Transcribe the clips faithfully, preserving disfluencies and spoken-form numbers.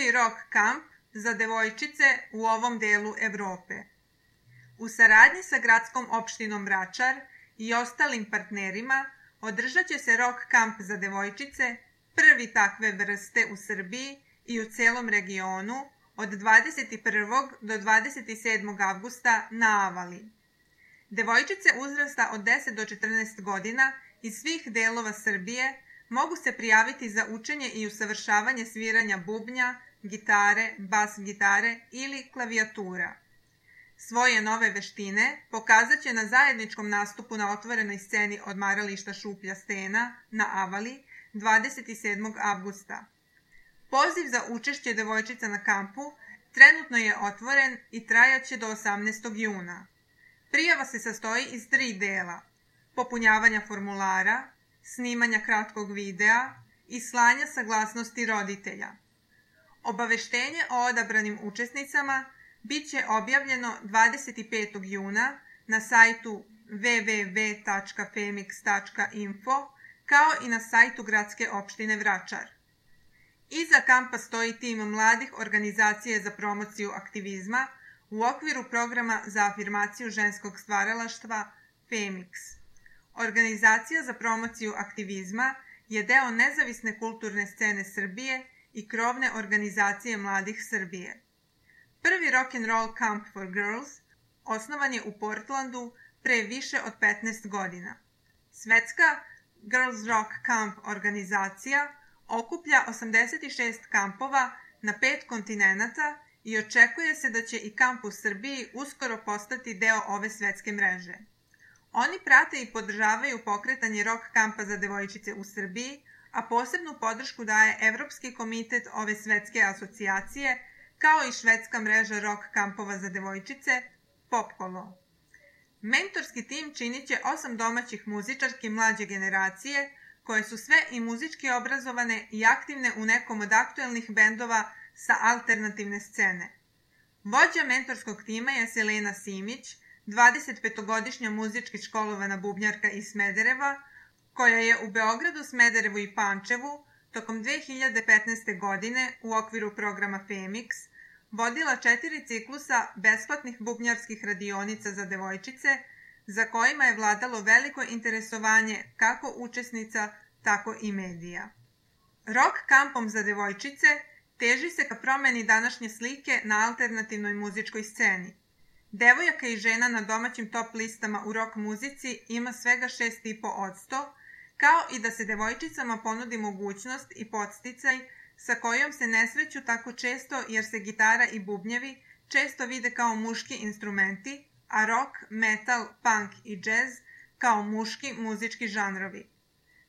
prvi rock kamp za devojčice u ovom delu Evrope. U saradnji sa gradskom opštinom Vračar i ostalim partnerima održat će se rock kamp za devojčice, prvi takve vrste u Srbiji i u celom regionu, od dvadeset prvog do dvadeset sedmog avgusta na Avali. Devojčice uzrasta od deset do četrnaest godina iz svih delova Srbije mogu se prijaviti za učenje i usavršavanje sviranja bubnja, gitare, bas gitare ili klavijatura. Svoje nove veštine pokazat će na zajedničkom nastupu na otvorenoj sceni odmarališta Šuplja stena na Avali dvadeset sedmog avgusta. Poziv za učešće devojčica na kampu trenutno je otvoren i trajaće do osamnaestog juna. Prijava se sastoji iz tri dela: popunjavanja formulara, snimanja kratkog videa i slanja saglasnosti roditelja. Obaveštenje o odabranim učesnicama bit će objavljeno dvadeset petog juna na sajtu w w w tačka femix tačka info kao i na sajtu Gradske opštine Vračar. Iza kampa stoji tim mladih organizacije za promociju aktivizma u okviru programa za afirmaciju ženskog stvaralaštva Femix. Organizacija za promociju aktivizma je deo nezavisne kulturne scene Srbije i krovne organizacije mladih Srbije. Prvi rock'n'roll camp for girls osnovan je u Portlandu pre više od petnaest godina. Svetska Girls Rock Camp organizacija okuplja osamdeset šest kampova na pet kontinenata i očekuje se da će i kamp u Srbiji uskoro postati deo ove svetske mreže. Oni prate i podržavaju pokretanje rock kampa za devojčice u Srbiji, a posebnu podršku daje Evropski komitet ove svetske asocijacije, kao i švedska mreža rock kampova za devojčice Popkolo. Mentorski tim činit će osam domaćih muzičarki mlađe generacije, koje su sve i muzički obrazovane i aktivne u nekom od aktuelnih bendova sa alternativne scene. Vođa mentorskog tima je Selena Simić, dvadesetpetogodišnja muzički školovana bubnjarka iz Smedereva, koja je u Beogradu, Smederevu i Pančevu tokom dve hiljade petnaeste. godine u okviru programa Femix vodila četiri ciklusa besplatnih bubnjarskih radionica za devojčice, za kojima je vladalo veliko interesovanje kako učesnica, tako i medija. Rock kampom za devojčice teži se ka promeni današnje slike na alternativnoj muzičkoj sceni. Devojaka i žena na domaćim top listama u rock muzici ima svega šest zarez pet posto, kao i da se devojčicama ponudi mogućnost i podsticaj sa kojom se ne sreću tako često jer se gitara i bubnjevi često vide kao muški instrumenti, a rock, metal, punk i džez kao muški muzički žanrovi.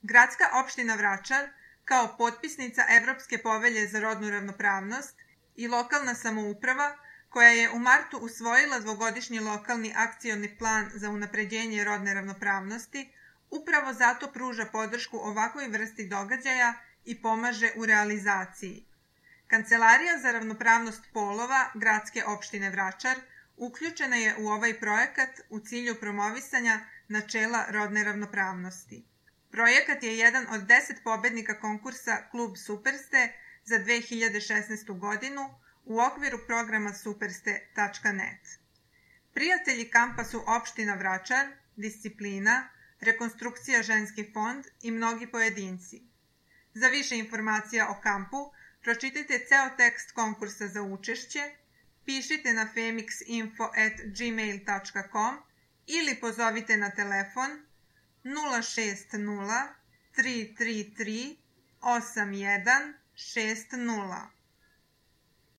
Gradska opština Vračar, kao potpisnica Evropske povelje za rodnu ravnopravnost, i lokalna samouprava, koja je u martu usvojila dvogodišnji lokalni akcioni plan za unapređenje rodne ravnopravnosti, upravo zato pruža podršku ovakvoj vrsti događaja i pomaže u realizaciji. Kancelarija za ravnopravnost polova Gradske opštine Vračar uključena je u ovaj projekat u cilju promovisanja načela rodne ravnopravnosti. Projekat je jedan od deset pobednika konkursa Klub Superste za dve hiljade šesnaestu. godinu u okviru programa superste tačka net. Prijatelji kampa su opština Vračar, Disciplina, Rekonstrukcija ženski fond i mnogi pojedinci. Za više informacija o kampu pročitajte ceo tekst konkursa za učešće, pišite na femixinfo at gmail tačka com ili pozovite na telefon nula šest nula tri tri tri osam jedan šest nula.